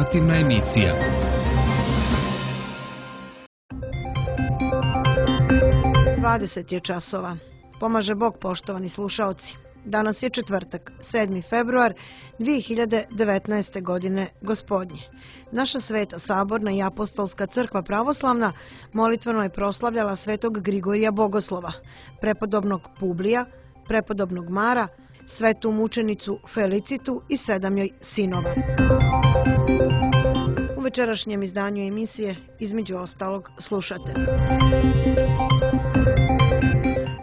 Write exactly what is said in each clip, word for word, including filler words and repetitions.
Informativna emisija. dvadeset je časova. Pomaže Bog, poštovani slušaoci. Danas je četvrtak, sedmi februar dvije hiljade devetnaeste. godine gospodnje. Naša Sveta Saborna i Apostolska crkva pravoslavna molitveno je proslavljala svetog Grigorija Bogoslova, prepodobnog Publija, prepodobnog Mara, svetu mučenicu Felicitu i sedam joj sinova. U večerašnjem izdanju emisije između ostalog slušate.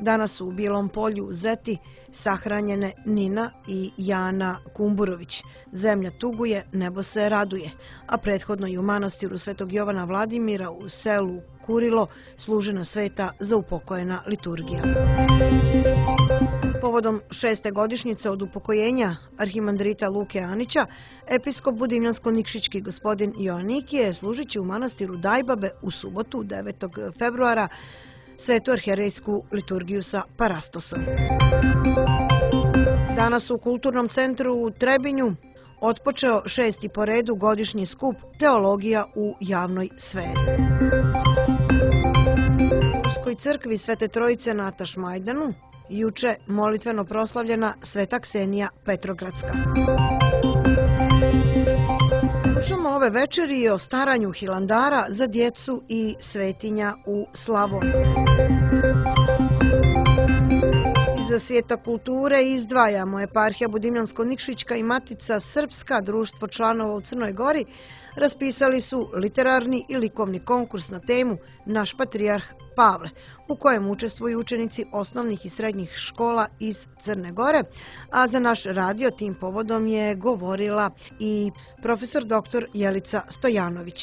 Danas su u Bijelom Polju u Zeti sahranjene Nina i Jana Kumburović. Zemlja tuguje, nebo se raduje, a prethodno i u manastiru Svetog Jovana Vladimira u selu Kurilo služena sveta za upokojena liturgija. Povodom šeste godišnjice od upokojenja arhimandrita Luke Anića, episkop Budimljansko-Nikšićki gospodin Joannikije služit će u manastiru Dajbabe u subotu devetog februara svetu arhijerejsku liturgiju sa Parastosom. Danas u Kulturnom centru u Trebinju otpočeo šesti po redu godišnji skup Teologija u javnoj sferi. U Ruskoj crkvi Svete Trojice na Tašmajdanu juče molitveno proslavljena Sveta Ksenija Petrogradska. Slušamo ove večeri o staranju Hilandara za djecu i svetinja u Slavoniji. Iz svijeta kulture izdvajamo eparhija Budimljansko-Nikšićka i Matica Srpska, društvo članova u Crnoj Gori, raspisali su literarni i likovni konkurs na temu Naš patrijarh Pavle, u kojem učestvuju učenici osnovnih i srednjih škola iz Crne Gore, a za naš radio tim povodom je govorila i profesor doktor Jelica Stojanović.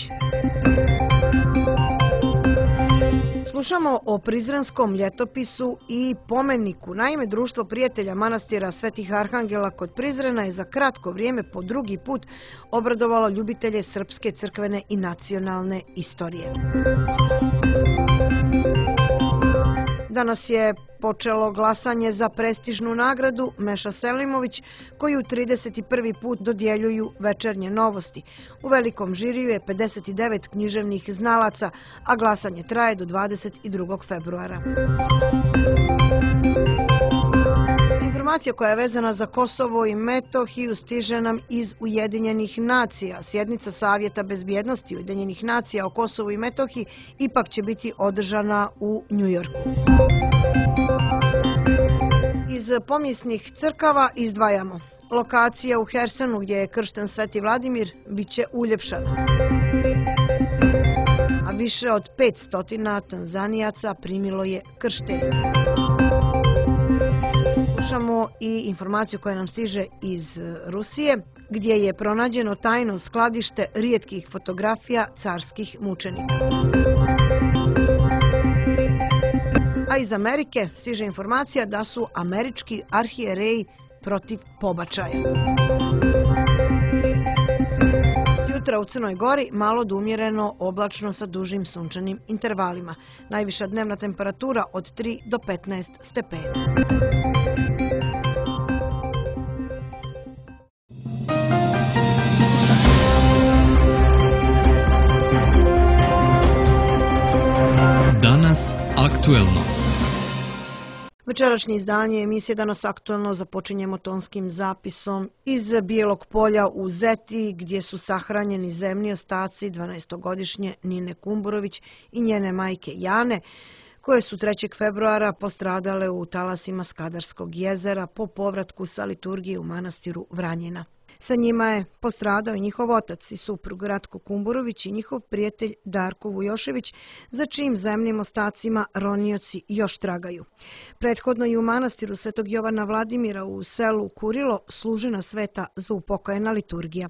Slušamo o Prizrenskom ljetopisu i pomeniku. Naime, Društvo prijatelja manastira Svetih Arhangela kod Prizrena je za kratko vrijeme po drugi put obradovalo ljubitelje srpske crkvene i nacionalne istorije. Danas je počelo glasanje za prestižnu nagradu Meša Selimović, koju trideset prvi put dodjeljuju Večernje novosti. U velikom žiriju je pedeset devet književnih znalaca, a glasanje traje do dvadeset drugog februara. Informacija koja je vezana za Kosovo i Metohiju stiže nam iz Ujedinjenih nacija. Sjednica Savjeta bezbjednosti Ujedinjenih nacija o Kosovu i Metohiji ipak će biti održana u Njujorku. Iz pomjesnih crkava izdvajamo. Lokacija u Hersenu gdje je kršten Sveti Vladimir bit će uljepšana. A više od petsto Tanzanijaca primilo je krštenje. Slušamo i informaciju koja nam stiže iz Rusije, gdje je pronađeno tajno skladište rijetkih fotografija carskih mučenika. A iz Amerike stiže informacija da su američki arhijereji protiv pobačaja. Jutra u Crnoj Gori malo do umjereno oblačno sa dužim sunčanim intervalima. Najviša dnevna temperatura od tri do petnaest stepeni. Danas aktuelno. Večerašnje izdanje emisije Danas aktuelno započinjemo tonskim zapisom iz Bijelog Polja u Zeti, gdje su sahranjeni zemni ostaci dvanaestogodišnje Nine Kumburović i njene majke Jane, koje su trećeg februara postradale u talasima Skadarskog jezera po povratku sa liturgije u manastiru Vranjina. Sa njima je postradao i njihov otac i suprug Ratko Kumburović i njihov prijatelj Darko Vujošević, za čijim zemnim ostacima ronioci još tragaju. Prethodno i u manastiru Svetog Jovana Vladimira u selu Kurilo služena sveta za upokojena liturgija.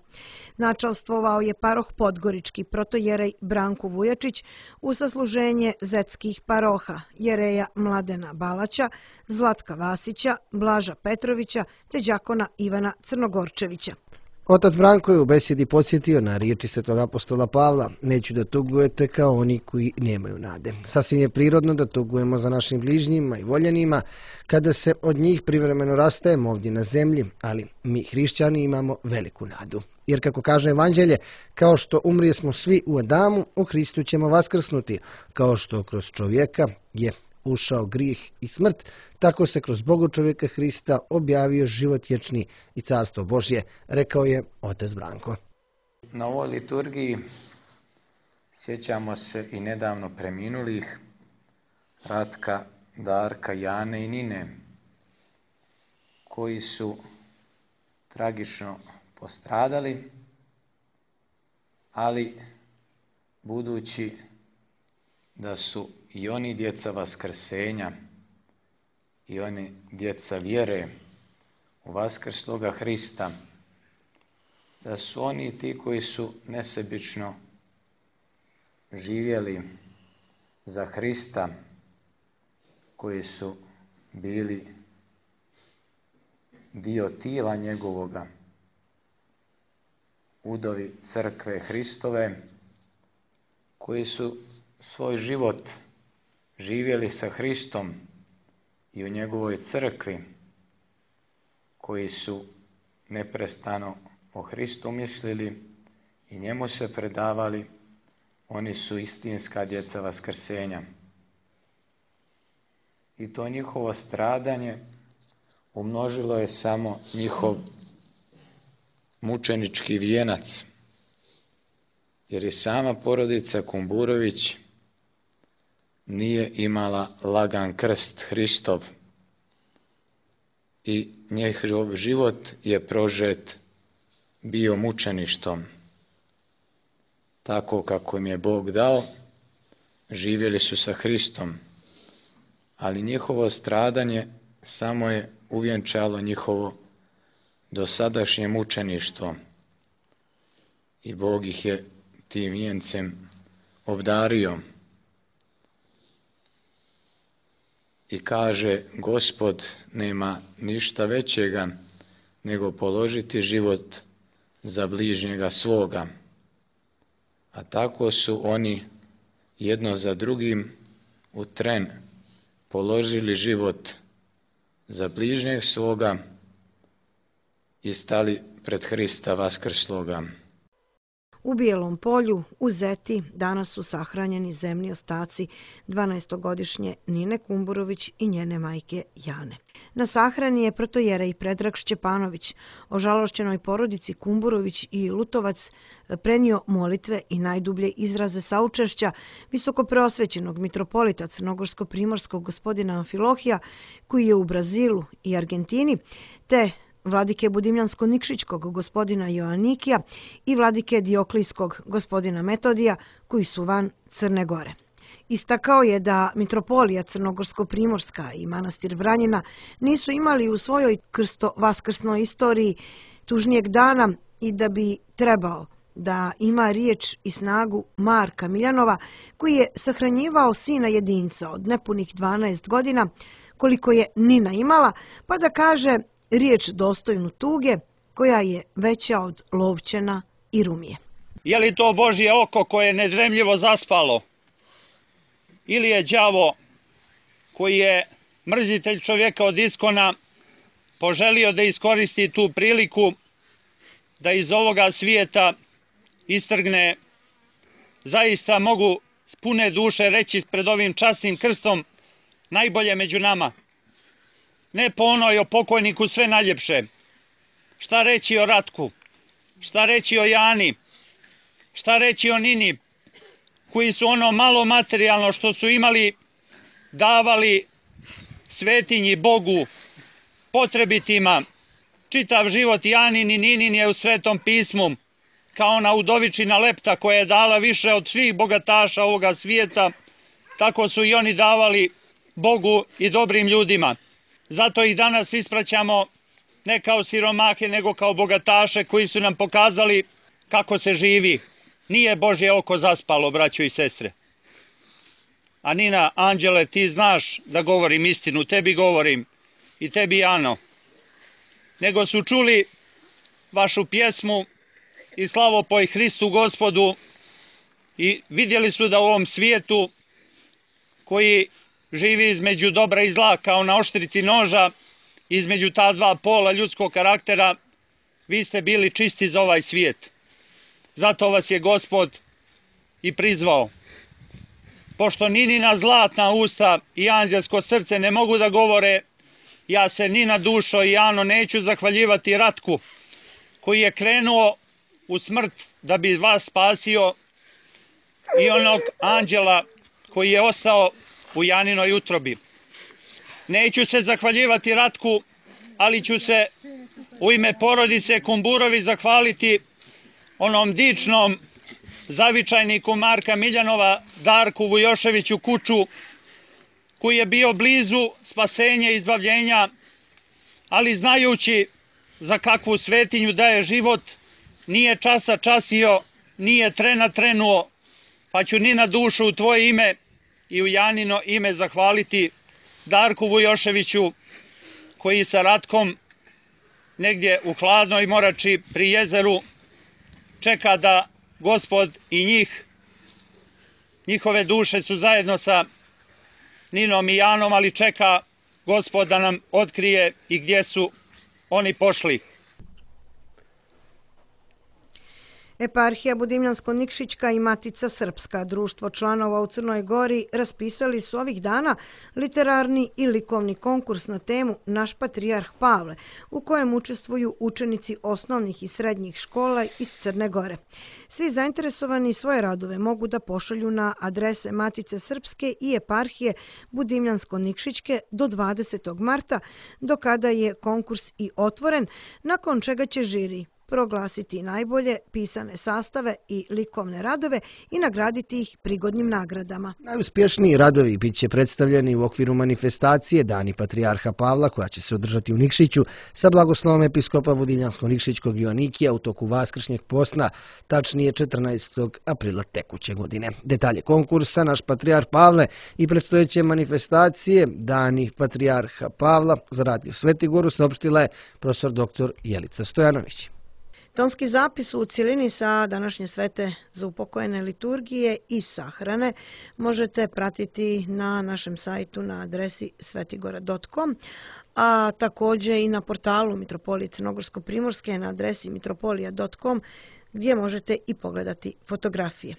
Načalstvovao je paroh Podgorički protojerej Branko Vujačić u sasluženje zetskih paroha jereja Mladena Balaća, Zlatka Vasića, Blaža Petrovića te đakona Ivana Crnogorčevića. Otac Branko je u besjedi podsjetio na riječi svetog apostola Pavla: neću da tugujete kao oni koji nemaju nade. Sasvim je prirodno da tugujemo za našim bližnjima i voljenima kada se od njih privremeno rastajemo ovdje na zemlji, ali mi hrišćani imamo veliku nadu. Jer kako kaže Evanđelje, kao što umrije smo svi u Adamu, u Hristu ćemo vaskrsnuti. Kao što kroz čovjeka je ušao grijeh i smrt, tako se kroz Boga čovjeka Hrista objavio život vječni i carstvo Božje, rekao je otac Branko. Na ovoj liturgiji sjećamo se i nedavno preminulih Ratka, Darka, Jane i Nine, koji su tragično postradali, ali budući da su i oni djeca vaskrsenja i oni djeca vjere u vaskrsloga Hrista, da su oni ti koji su nesebično živjeli za Hrista, koji su bili dio tijela njegovoga, udovi crkve Hristove, koji su svoj život živjeli sa Hristom i u njegovoj crkvi, koji su neprestano o Hristu mislili i njemu se predavali, oni su istinska djeca vaskrsenja. I to njihovo stradanje umnožilo je samo njihov mučenički vijenac, jer i sama porodica Kumburović nije imala lagan krst Hristov i njihov život je prožet bio mučeništvom. Tako kako im je Bog dao, živjeli su sa Hristom, ali njihovo stradanje samo je uvjenčalo njihovo dosadašnje mučeništvo i Bog ih je tim vijencem obdario. I kaže, Gospod nema ništa većega nego položiti život za bližnjega svoga. A tako su oni jedno za drugim u tren položili život za bližnjeg svoga i stali pred Hrista vaskrsloga. U Bijelom polju, u Zeti, danas su sahranjeni zemni ostaci dvanaestogodišnje Nine Kumburović i njene majke Jane. Na sahrani je protojerej Predrag Šćepanović, ožalošćenoj porodici Kumburović i Lutovac prenio molitve i najdublje izraze saučešća visokopreosvećenog mitropolita crnogorsko-primorskog gospodina Amfilohija, koji je u Brazilu i Argentini, te vladike Budimljansko-Nikšićkog gospodina Joanikija i vladike Dioklijskog gospodina Metodija, koji su van Crne Gore. Istakao je da mitropolija Crnogorsko-Primorska i manastir Vranjina nisu imali u svojoj krsto-vaskrsnoj istoriji tužnijeg dana i da bi trebao da ima riječ i snagu Marka Miljanova, koji je sahranjivao sina jedinca od nepunih dvanaest godina, koliko je Nina imala, pa da kaže riječ dostojnu tuge, koja je veća od Lovćena i Rumije. Je li to Božje oko koje je nedremljivo zaspalo? Ili je đavo koji je mrzitelj čovjeka od iskona poželio da iskoristi tu priliku da iz ovoga svijeta istrgne, zaista mogu s pune duše reći pred ovim časnim krstom, najbolje među nama. Ne po onoj o pokojniku sve najljepše. Šta reći o Ratku? Šta reći o Jani? Šta reći o Nini? Koji su ono malo materijalno što su imali davali svetinji Bogu, potrebitima. Čitav život Janin i Ninin je u Svetom pismu, kao ona udovičina Lepta koja je dala više od svih bogataša ovoga svijeta, tako su i oni davali Bogu i dobrim ljudima. Zato ih danas ispraćamo ne kao siromahe, nego kao bogataše koji su nam pokazali kako se živi. Nije Božje oko zaspalo, braćo i sestre. A Nina, Anđele, ti znaš da govorim istinu, tebi govorim i tebi Ano. Nego su čuli vašu pjesmu i slavopoj Hristu Gospodu i vidjeli su da u ovom svijetu koji živi između dobra i zla kao na oštrici noža, između ta dva pola ljudskog karaktera, vi ste bili čisti za ovaj svijet. Zato vas je Gospod i prizvao. Pošto Ninina zlatna usta i anđelsko srce ne mogu da govore, ja se ni na dušo i Ano neću zahvaljivati Ratku, koji je krenuo u smrt da bi vas spasio, i onog anđela koji je ostao u Janinoj utrobi. Neću se zahvaljivati Ratku, ali ću se u ime porodice Kumburovi zahvaliti onom dičnom zavičajniku Marka Miljanova, Darku Vujoševiću Kuču, koji je bio blizu spasenja i izbavljenja, ali znajući za kakvu svetinju daje život, nije časa časio, nije trena trenuo, pa ću ni na dušu u tvoje ime i u Janino ime zahvaliti Darku Vujoševiću, koji sa Ratkom negdje u hladnoj morači pri jezeru čeka da Gospod i njih, njihove duše su zajedno sa Ninom i Janom, ali čeka Gospod da nam otkrije i gdje su oni pošli. Eparhija Budimljansko-Nikšićka i Matica Srpska, društvo članova u Crnoj Gori, raspisali su ovih dana literarni i likovni konkurs na temu Naš patrijarh Pavle, u kojem učestvuju učenici osnovnih i srednjih škola iz Crne Gore. Svi zainteresovani svoje radove mogu da pošalju na adrese Matice Srpske i Eparhije Budimljansko-Nikšićke do dvadesetog marta, do kada je konkurs i otvoren, nakon čega će žiri proglasiti najbolje pisane sastave i likovne radove i nagraditi ih prigodnim nagradama. Najuspješniji radovi bit će predstavljeni u okviru manifestacije Dani Patrijarha Pavla, koja će se održati u Nikšiću sa blagoslovom episkopa Budimljansko-Nikšićkog Joanikija u toku Vaskršnjeg posna, tačnije četrnaestog aprila tekuće godine. Detalje konkursa Naš patrijarh Pavle i predstojeće manifestacije Dani Patrijarha Pavla za Radio Svetigoru saopštila je profesor doktor Jelica Stojanović. Tonski zapis u cjelini sa današnje svete za upokojene liturgije i sahrane možete pratiti na našem sajtu na adresi svetigora dot com, a također i na portalu Mitropolije Crnogorsko-Primorske na adresi mitropolija dot com, gdje možete i pogledati fotografije.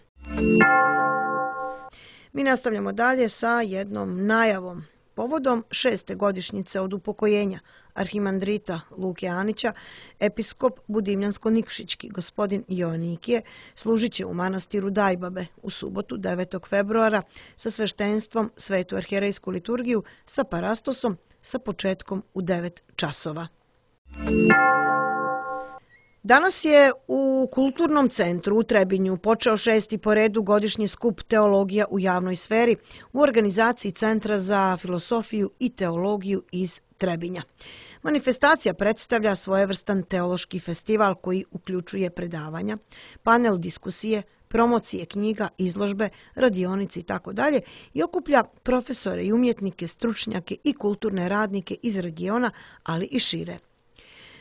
Mi nastavljamo dalje sa jednom najavom. Povodom šeste godišnjice od upokojenja arhimandrita Luke Anića, episkop Budimljansko-Nikšićki gospodin Joanikije služit će u manastiru Dajbabe u subotu devetog februara sa sveštenstvom svetu arhijerejsku liturgiju sa parastosom sa početkom u devet časova. Danas je u Kulturnom centru u Trebinju počeo šesti po redu godišnji skup Teologija u javnoj sferi u organizaciji Centra za filosofiju i teologiju iz Trebinja. Manifestacija predstavlja svojevrstan teološki festival koji uključuje predavanja, panel diskusije, promocije knjiga, izložbe, radionice itd. i okuplja profesore i umjetnike, stručnjake i kulturne radnike iz regiona, ali i šire.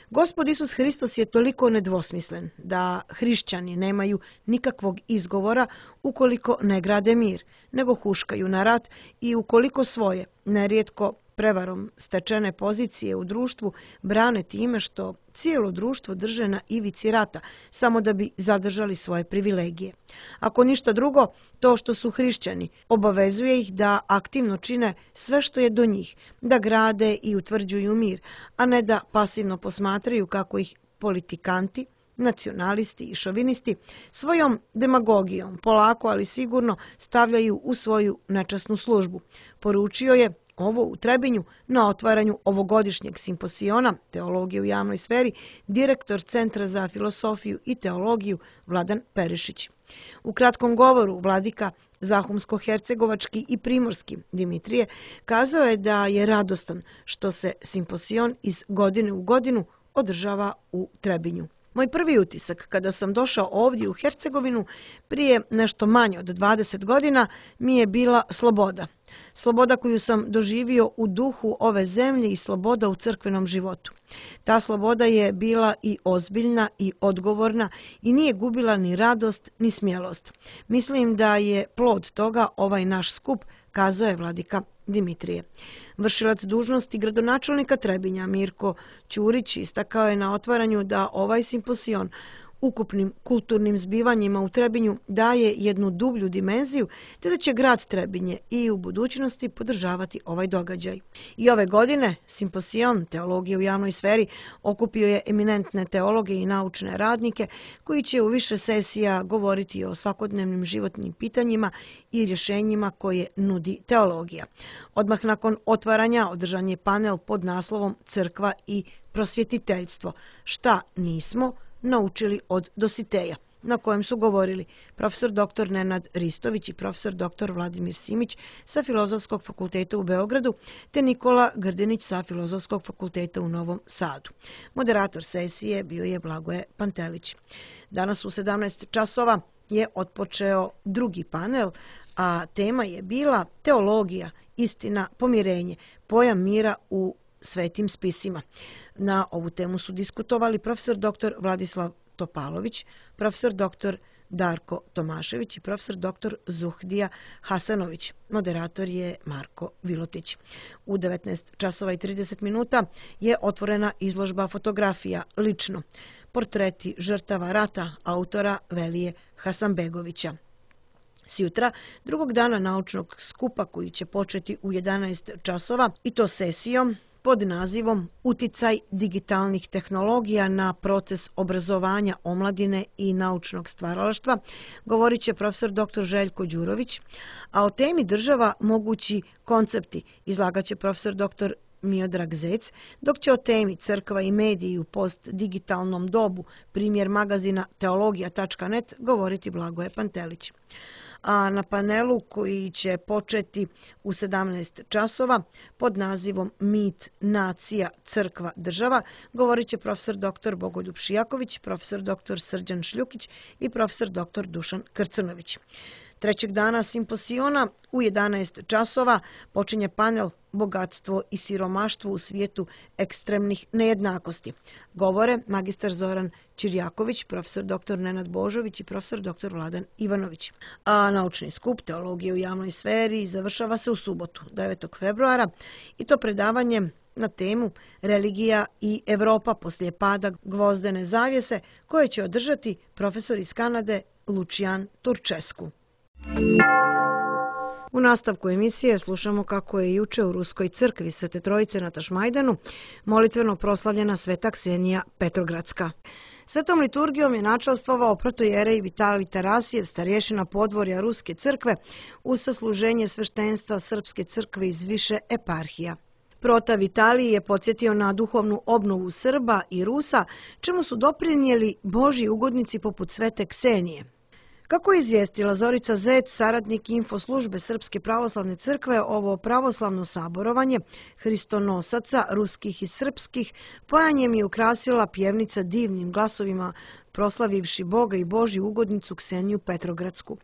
Gospod Isus Hristos je toliko nedvosmislen da hrišćani nemaju nikakvog izgovora ukoliko ne grade mir, nego huškaju na rat i ukoliko svoje, nerijetko prevarom stečene pozicije u društvu, brane time što cijelo društvo drže na ivici rata, samo da bi zadržali svoje privilegije. Ako ništa drugo, to što su hrišćani obavezuje ih da aktivno čine sve što je do njih, da grade i utvrđuju mir, a ne da pasivno posmatraju kako ih politikanti, nacionalisti i šovinisti svojom demagogijom polako ali sigurno stavljaju u svoju nečasnu službu. Poručio je ovo u Trebinju na otvaranju ovogodišnjeg simposiona Teologije u javnoj sferi direktor Centra za filosofiju i teologiju Vladan Perišić. U kratkom govoru vladika Zahumsko-hercegovački i primorski Dimitrije kazao je da je radostan što se simposion iz godine u godinu održava u Trebinju. Moj prvi utisak kada sam došao ovdje u Hercegovinu prije nešto manje od dvadeset godina mi je bila sloboda. Sloboda koju sam doživio u duhu ove zemlje i sloboda u crkvenom životu. Ta sloboda je bila i ozbiljna i odgovorna i nije gubila ni radost ni smjelost. Mislim da je plod toga ovaj naš skup, kazao je vladika Dimitrije. Vršilac dužnosti gradonačelnika Trebinja Mirko Ćurić istakao je na otvaranju da ovaj simposion ukupnim kulturnim zbivanjima u Trebinju daje jednu dublju dimenziju, te da će grad Trebinje i u budućnosti podržavati ovaj događaj. I ove godine simposion Teologije u javnoj sferi okupio je eminentne teologe i naučne radnike koji će u više sesija govoriti o svakodnevnim životnim pitanjima i rješenjima koje nudi teologija. Odmah nakon otvaranja održan je panel pod naslovom Crkva i prosvjetiteljstvo. Šta nismo naučili od Dositeja, na kojem su govorili profesor doktor Nenad Ristović i profesor doktor Vladimir Simić sa Filozofskog fakulteta u Beogradu te Nikola Grdinić sa Filozofskog fakulteta u Novom Sadu. Moderator sesije bio je Blagoje Pantelić. Danas u sedamnaest časova je otpočeo drugi panel, a tema je bila Teologija, istina, pomirenje, pojam mira u svetim spisima. Na ovu temu su diskutovali profesor doktor Vladislav Topalović, profesor doktor Darko Tomašević i profesor doktor Zuhdija Hasanović. Moderator je Marko Vilotić. U devetnaest časova i trideset minuta je otvorena izložba fotografija Lično. Portreti žrtava rata autora Velije Hasanbegovića. Sjutra, drugog dana naučnog skupa koji će početi u jedanaest časova i to sesijom pod nazivom Uticaj digitalnih tehnologija na proces obrazovanja omladine i naučnog stvaralaštva, govorit će profesor doktor Željko Đurović, a o temi država mogući koncepti izlagaće profesor doktor Miodrag Zec, dok će o temi crkva i mediji u postdigitalnom dobu, primjer magazina teologija tačka net, govoriti Blagoje Pantelić. A na panelu koji će početi u sedamnaest časova pod nazivom Mit, nacija, crkva, država govorit će profesor doktor Bogoljub Šijaković, profesor doktor Srđan Šljukić i profesor doktor Dušan Krcnović. Trećeg dana simposiona u jedanaest časova počinje panel Bogatstvo i siromaštvo u svijetu ekstremnih nejednakosti. Govore magistar Zoran Čirjaković, profesor doktor Nenad Božović i profesor doktor Vladan Ivanović. A naučni skup Teologije u javnoj sferi završava se u subotu, devetog februara, i to predavanjem na temu Religija i Evropa poslije pada gvozdene zavjese, koje će održati profesor iz Kanade Lucian Turčesku. U nastavku emisije slušamo kako je juče u Ruskoj crkvi Svete Trojice na Tašmajdanu molitveno proslavljena Sveta Ksenija Petrogradska. Svetom liturgijom je načelstvovao protojerej Vitalij Tarasijev, starješina podvorja Ruske crkve, uz sasluženje sveštenstva Srpske crkve iz više eparhija. Prota Vitalij je podsjetio na duhovnu obnovu Srba i Rusa, čemu su doprinijeli Božji ugodnici poput Svete Ksenije. Kako je izvijestila Zorica Zec, saradnik infoslužbe Srpske pravoslavne crkve, ovo pravoslavno saborovanje hristonosaca, ruskih i srpskih, pojanjem je ukrasila pjevnica divnim glasovima, proslavivši Boga i Božju ugodnicu Kseniju Petrogradsku.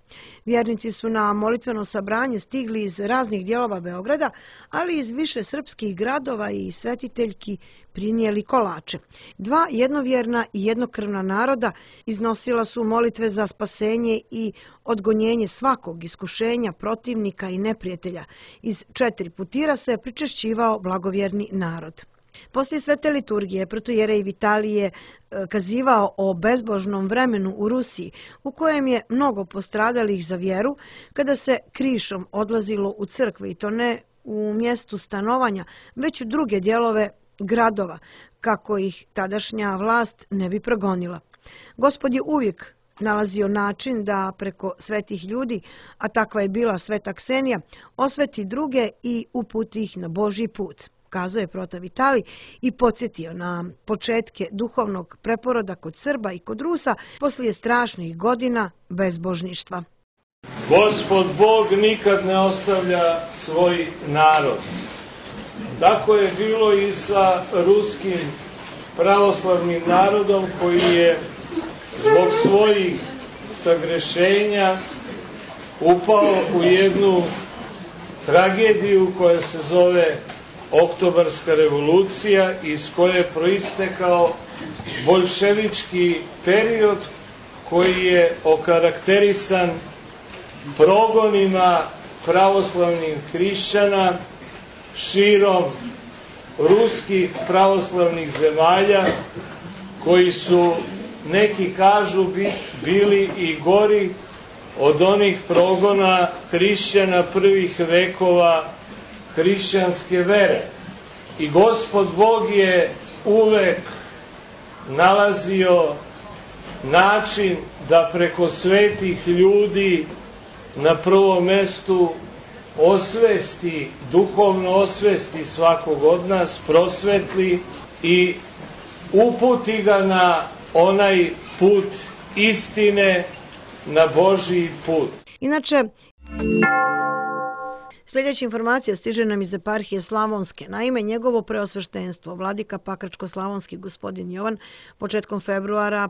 Vjernici su na molitveno sabranje stigli iz raznih dijelova Beograda, ali iz više srpskih gradova i svetiteljki prinijeli kolače. Dva jednovjerna i jednokrvna naroda iznosila su molitve za spasenje i odgonjenje svakog iskušenja, protivnika i neprijatelja. Iz četiri putira se pričešćivao blagovjerni narod. Poslije svete liturgije protojerej Vitalij je kazivao o bezbožnom vremenu u Rusiji, u kojem je mnogo postradalih za vjeru, kada se krišom odlazilo u crkve, i to ne u mjestu stanovanja, već u druge dijelove gradova, kako ih tadašnja vlast ne bi progonila. Gospod je uvijek nalazio način da preko svetih ljudi, a takva je bila Sveta Ksenija, osveti druge i uputi ih na Božji put, kazao je prota Vitalij i podsjetio na početke duhovnog preporoda kod Srba i kod Rusa poslije strašnih godina bezbožništva. Gospod Bog nikad ne ostavlja svoj narod. Tako je bilo i sa ruskim pravoslavnim narodom, koji je zbog svojih sagrešenja upao u jednu tragediju koja se zove Oktobarska revolucija, iz koje je proistekao boljševički period koji je okarakterisan progonima pravoslavnih hrišćana širom ruskih pravoslavnih zemalja, koji su, neki kažu, bili i gori od onih progona hrišćana prvih vekova hrišćanske vere. I Gospod Bog je uvek nalazio način da preko svetih ljudi na prvom mestu osvesti, duhovno osvesti svakog od nas, prosvetli i uputi ga na onaj put istine, na Božji put. Inače, sljedeća informacija stiže nam iz eparhije Slavonske. Naime, njegovo preosveštenstvo, vladika Pakračko-slavonski gospodin Jovan, početkom februara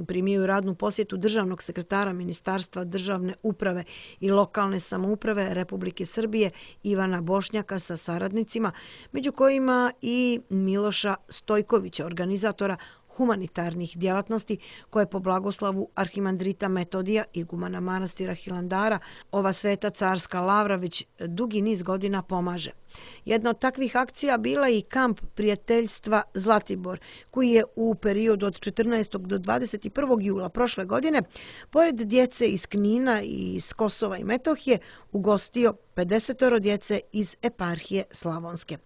primio radnu posjetu državnog sekretara Ministarstva državne uprave i lokalne samouprave Republike Srbije Ivana Bošnjaka sa saradnicima, među kojima i Miloša Stojkovića, organizatora humanitarnih djelatnosti koje po blagoslavu arhimandrita Metodija, igumana manastira Hilandara, ova sveta carska lavra već dugi niz godina pomaže. Jedna od takvih akcija bila i kamp prijateljstva Zlatibor, koji je u periodu od četrnaestog do dvadeset prvog jula prošle godine, pored djece iz Knina i iz Kosova i Metohije, ugostio pedesetoro djece iz eparhije Slavonske.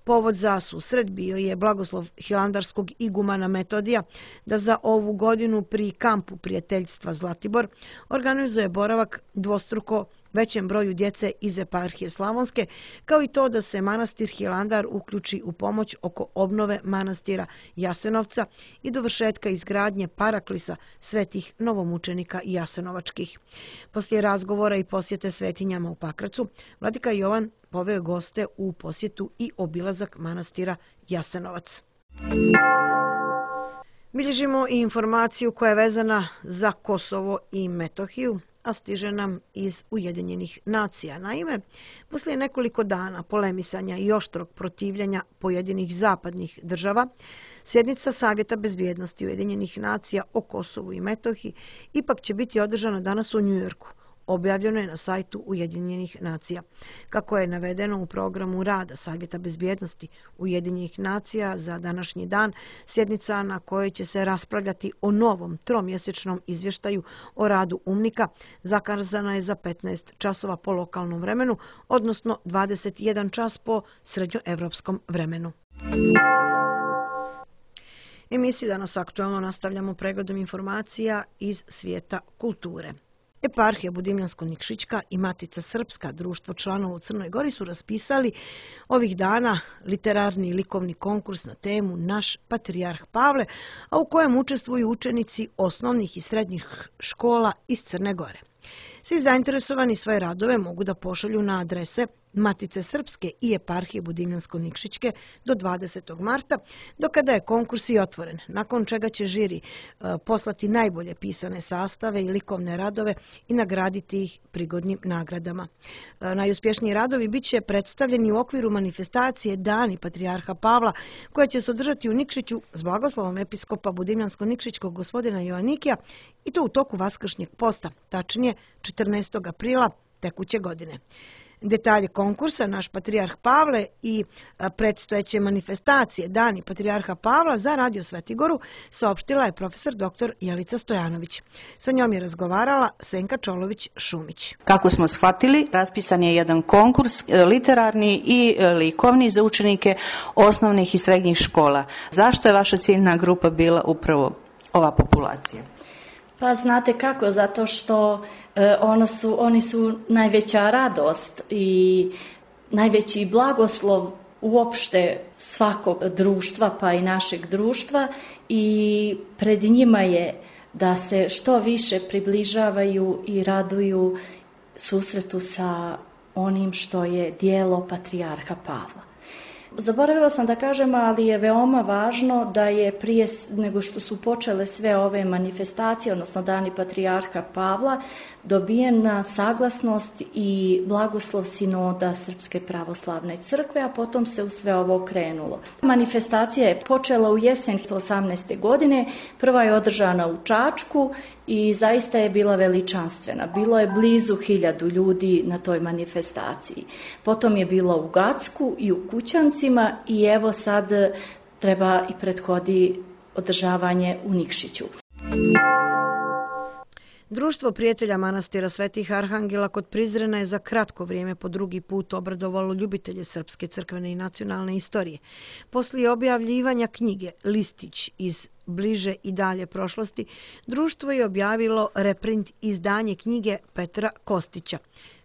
Povod za susret bio je blagoslov hilandarskog igumana Metodija da za ovu godinu pri kampu prijateljstva Zlatibor organizuje boravak dvostruko većem broju djece iz eparhije Slavonske, kao i to da se manastir Hilandar uključi u pomoć oko obnove manastira Jasenovca i dovršetka izgradnje paraklisa svetih novomučenika jasenovačkih. Poslije razgovora i posjete svetinjama u Pakracu, vladika Jovan poveo goste u posjetu i obilazak manastira Jasenovac. Bilježimo i informaciju koja je vezana za Kosovo i Metohiju, a stiže nam iz Ujedinjenih nacija. Naime, poslije nekoliko dana polemisanja i oštrog protivljenja pojedinih zapadnih država, sjednica Savjeta bezbjednosti Ujedinjenih nacija o Kosovu i Metohiji ipak će biti održana danas u Njujorku. Objavljeno je na sajtu Ujedinjenih nacija. Kako je navedeno u programu rada Savjeta bezbjednosti Ujedinjenih nacija za današnji dan, sjednica na kojoj će se raspravljati o novom tromjesečnom izvještaju o radu UNMIK-a zakazana je za petnaest časova po lokalnom vremenu, odnosno dvadeset jedan čas po srednjoevropskom vremenu. Emisiju danas aktualno nastavljamo pregledom informacija iz svijeta kulture. Eparhija Budimljansko-Nikšićka i Matica Srpska, društvo članova u Crnoj Gori, su raspisali ovih dana literarni i likovni konkurs na temu Naš patrijarh Pavle, a u kojem učestvuju učenici osnovnih i srednjih škola iz Crne Gore. Svi zainteresovani svoje radove mogu da pošalju na adrese Matice Srpske i Eparhije Budimljansko-Nikšićke do dvadesetog marta, do kada je konkurs i otvoren, nakon čega će žiri e, poslati najbolje pisane sastave i likovne radove i nagraditi ih prigodnim nagradama. E, najuspješniji radovi bit će predstavljeni u okviru manifestacije Dani patrijarha Pavla, koja će se održati u Nikšiću s blagoslovom episkopa Budimljansko-Nikšićkog gospodina Joanikija, i to u toku vaskršnjeg posta, tačnije četrnaestog aprila tekuće godine. Detalje konkursa Naš patrijarh Pavle i predstojeće manifestacije Dani patrijarha Pavla za Radio Svetigoru saopštila je profesor doktor Jelica Stojanović. Sa njom je razgovarala Senka Čolović-Šumić. Kako smo shvatili, raspisan je jedan konkurs literarni i likovni za učenike osnovnih i srednjih škola. Zašto je vaša ciljna grupa bila upravo ova populacija? Pa znate kako, zato što e, ono su, oni su najveća radost i najveći blagoslov uopšte svakog društva, pa i našeg društva, i pred njima je da se što više približavaju i raduju susretu sa onim što je djelo patrijarha Pavla. Zaboravila sam da kažem, ali je veoma važno da je prije nego što su počele sve ove manifestacije, odnosno Dani patrijarha Pavla, dobijena saglasnost i blagoslov sinoda Srpske pravoslavne crkve, a potom se u sve ovo krenulo. Manifestacija je počela u jesen osamnaeste godine, prva je održana u Čačku i zaista je bila veličanstvena. Bilo je blizu hiljadu ljudi na toj manifestaciji. Potom je bilo u Gacku i u Kućancima i evo sad treba i prethodi održavanje u Nikšiću. Društvo prijatelja manastira Svetih Arhangela kod Prizrena je za kratko vrijeme po drugi put obradovalo ljubitelje srpske crkvene i nacionalne istorije. Poslije objavljivanja knjige Listić iz bliže i dalje prošlosti, društvo je objavilo reprint izdanje knjige Petra Kostića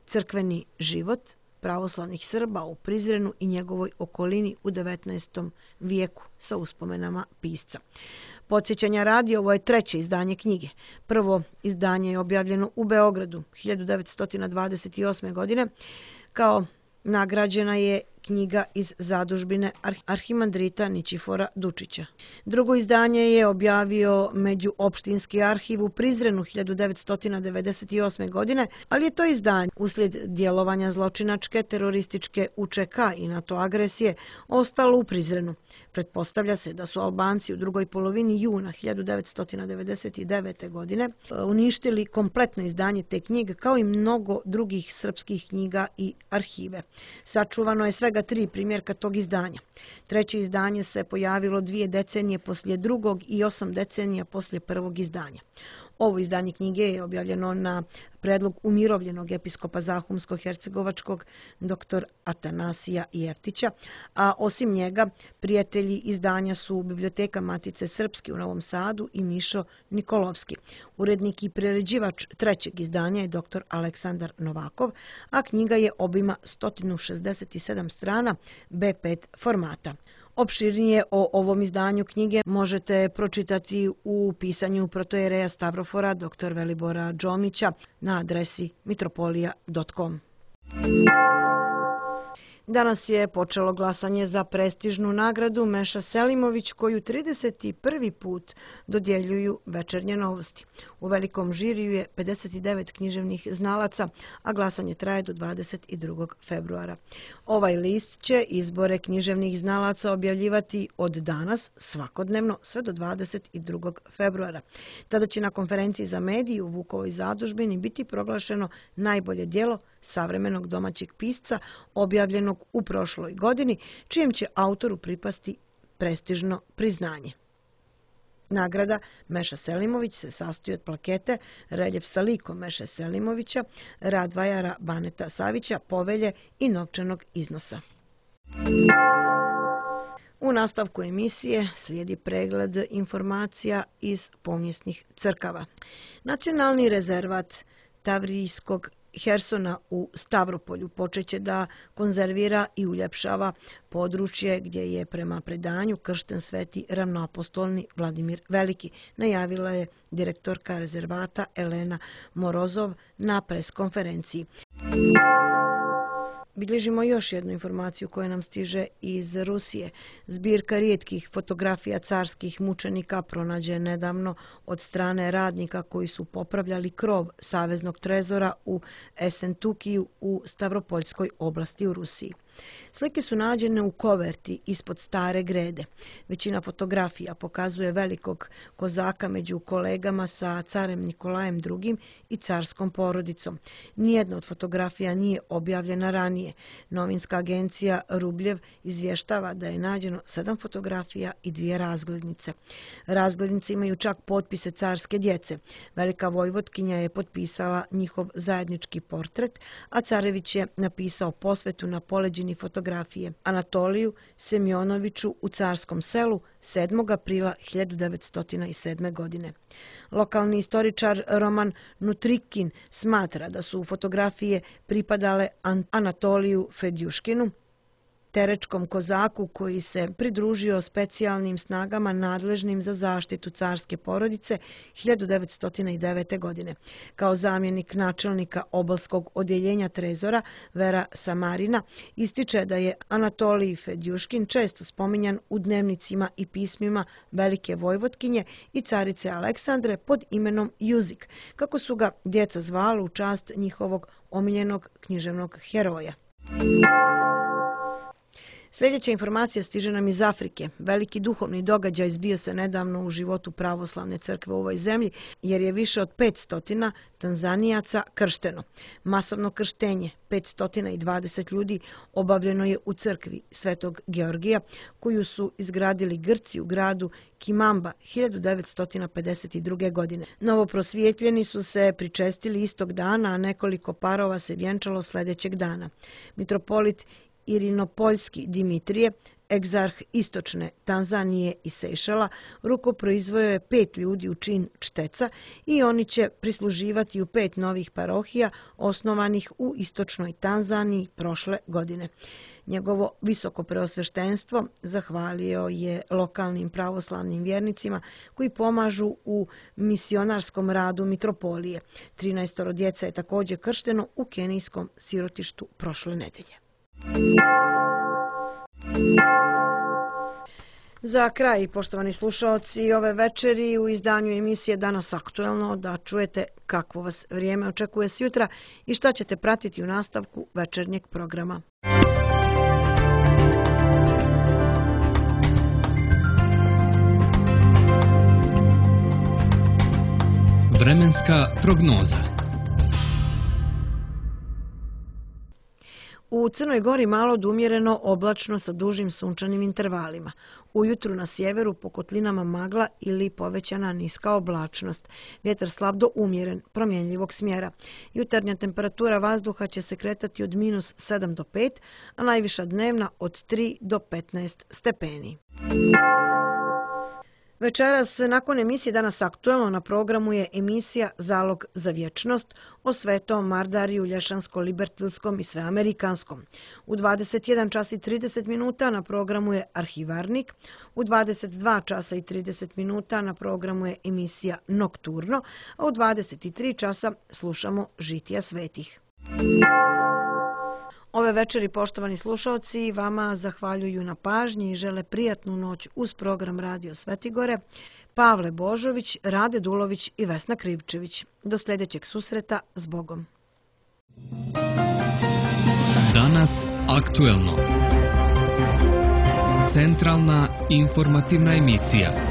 Crkveni život pravoslavnih Srba u Prizrenu i njegovoj okolini u devetnaestom vijeku sa uspomenama pisca. Podsjećanja radi, ovo je treće izdanje knjige. Prvo izdanje je objavljeno u Beogradu hiljadu devetsto dvadeset osme. godine. Kao nagrađena je knjiga iz zadužbine arhimandrita Ničifora Dučića. Drugo izdanje je objavio Međuopštinski arhiv u Prizrenu hiljadu devetsto devedeset osme. godine, ali je to izdanje uslijed djelovanja zločinačke terorističke U Č K i NATO agresije ostalo u Prizrenu. Pretpostavlja se da su Albanci u drugoj polovini juna hiljadu devetsto devedeset devete. godine uništili kompletno izdanje te knjige kao i mnogo drugih srpskih knjiga i arhive. Sačuvano je svega tri primjerka tog izdanja. Treće izdanje se pojavilo dvije decenije poslije drugog i osam decenija poslije prvog izdanja. Ovo izdanje knjige je objavljeno na predlog umirovljenog episkopa Zahumsko-hercegovačkog dr. Atanasija Jeftića, a osim njega prijatelji izdanja su Biblioteka Matice Srpske u Novom Sadu i Mišo Nikolovski. Urednik i priređivač trećeg izdanja je dr. Aleksandar Novakov, a knjiga je obima sto šezdeset sedam strana be pet formata. Opširnije o ovom izdanju knjige možete pročitati u pisanju protojereja Stavrofora dr. Velibora Džomića na adresi mitropolija dot com. Danas je počelo glasanje za prestižnu nagradu Meša Selimović, koju trideset prvi put dodjeljuju Večernje novosti. U velikom žiriju je pedeset devet književnih znalaca, a glasanje traje do dvadeset drugog februara. Ovaj list će izbore književnih znalaca objavljivati od danas svakodnevno sve do dvadeset drugog februara. Tada će na konferenciji za medije u Vukovoj zadužbini biti proglašeno najbolje djelo savremenog domaćeg pisca objavljenog u prošloj godini, čijem će autoru pripasti prestižno priznanje. Nagrada Meša Selimović se sastoji od plakete, reljef sa likom Meše Selimovića, rad vajara Baneta Savića, povelje i novčanog iznosa. U nastavku emisije slijedi pregled informacija iz povijesnih crkava. Nacionalni rezervat Tavrijskog Hersona u Stavropolju počeće da konzervira i uljepšava područje gdje je prema predanju kršten sveti ravnoapostolni Vladimir Veliki, najavila je direktorka rezervata Elena Morozov na preskonferenciji. Bilježimo još jednu informaciju koja nam stiže iz Rusije. Zbirka rijetkih fotografija carskih mučenika pronađe nedavno od strane radnika koji su popravljali krov Saveznog trezora u Esentukiju u Stavropoljskoj oblasti u Rusiji. Slike su nađene u koverti ispod stare grede. Većina fotografija pokazuje velikog kozaka među kolegama sa carem Nikolajem drugim i carskom porodicom. Nijedna od fotografija nije objavljena ranije. Novinska agencija Rubljev izvještava da je nađeno sedam fotografija i dvije razglednice. Razglednice imaju čak potpise carske djece. Velika vojvotkinja je potpisala njihov zajednički portret, a carević je napisao posvetu na poleđini fotografije Anatoliju Semjonoviću u Carskom selu sedmog aprila hiljadu devetsto sedme. godine. Lokalni istoričar Roman Nutrikin smatra da su fotografije pripadale Anatoliju Fedjuškinu, terečkom kozaku koji se pridružio specijalnim snagama nadležnim za zaštitu carske porodice hiljadu devetsto devete. godine. Kao zamjenik načelnika obalskog odjeljenja trezora Vera Samarina ističe da je Anatolij Fedjuškin često spominjan u dnevnicima i pismima Velike Vojvotkinje i carice Aleksandre pod imenom Juzik, kako su ga djeca zvala u čast njihovog omiljenog književnog heroja. Sljedeća informacija stiže nam iz Afrike. Veliki duhovni događaj zbio se nedavno u životu pravoslavne crkve u ovoj zemlji, jer je više od petsto Tanzanijaca kršteno. Masovno krštenje, petsto dvadeset ljudi, obavljeno je u crkvi Svetog Georgija, koju su izgradili Grci u gradu Kimamba hiljadu devetsto pedeset druge. godine. Novoprosvjetljeni su se pričestili istog dana, a nekoliko parova se vjenčalo sljedećeg dana. Mitropolit Irinopoljski Dimitrije, egzarh istočne Tanzanije i Sejšela, rukoproizveo je pet ljudi u čin čteca i oni će prisluživati u pet novih parohija osnovanih u istočnoj Tanzaniji prošle godine. Njegovo visoko preosveštenstvo zahvalio je lokalnim pravoslavnim vjernicima koji pomažu u misionarskom radu mitropolije. trinaestoro djeca je također kršteno u kenijskom sirotištu prošle nedelje. Za kraj, poštovani slušaoci, ove večeri u izdanju emisije Danas aktuelno da čujete kakvo vas vrijeme očekuje sjutra i šta ćete pratiti u nastavku večernjeg programa. Vremenska prognoza. U Crnoj Gori malo do umjereno oblačno sa dužim sunčanim intervalima. Ujutru na sjeveru po kotlinama magla ili povećana niska oblačnost. Vjetar slab do umjeren, promjenljivog smjera. Jutarnja temperatura vazduha će se kretati od minus sedam do pet, a najviša dnevna od tri do petnaest stepeni. Večeras, nakon emisije Danas aktuelno, na programu je emisija Zalog za vječnost o Svetom Mardariju Lješansko-Libertilskom i Sveamerikanskom. U dvadeset jedan čas i trideset minuta na programu je Arhivarnik, u dvadeset dva časa i trideset minuta na programu je emisija Nokturno, a u dvadeset tri časa slušamo Žitija svetih. Ove večeri, poštovani slušalci, vama zahvaljuju na pažnji i žele prijatnu noć uz program Radio Svetigore Pavle Božović, Rade Dulović i Vesna Krivčević. Do sljedećeg susreta, s Bogom. Danas aktuelno. Centralna informativna emisija.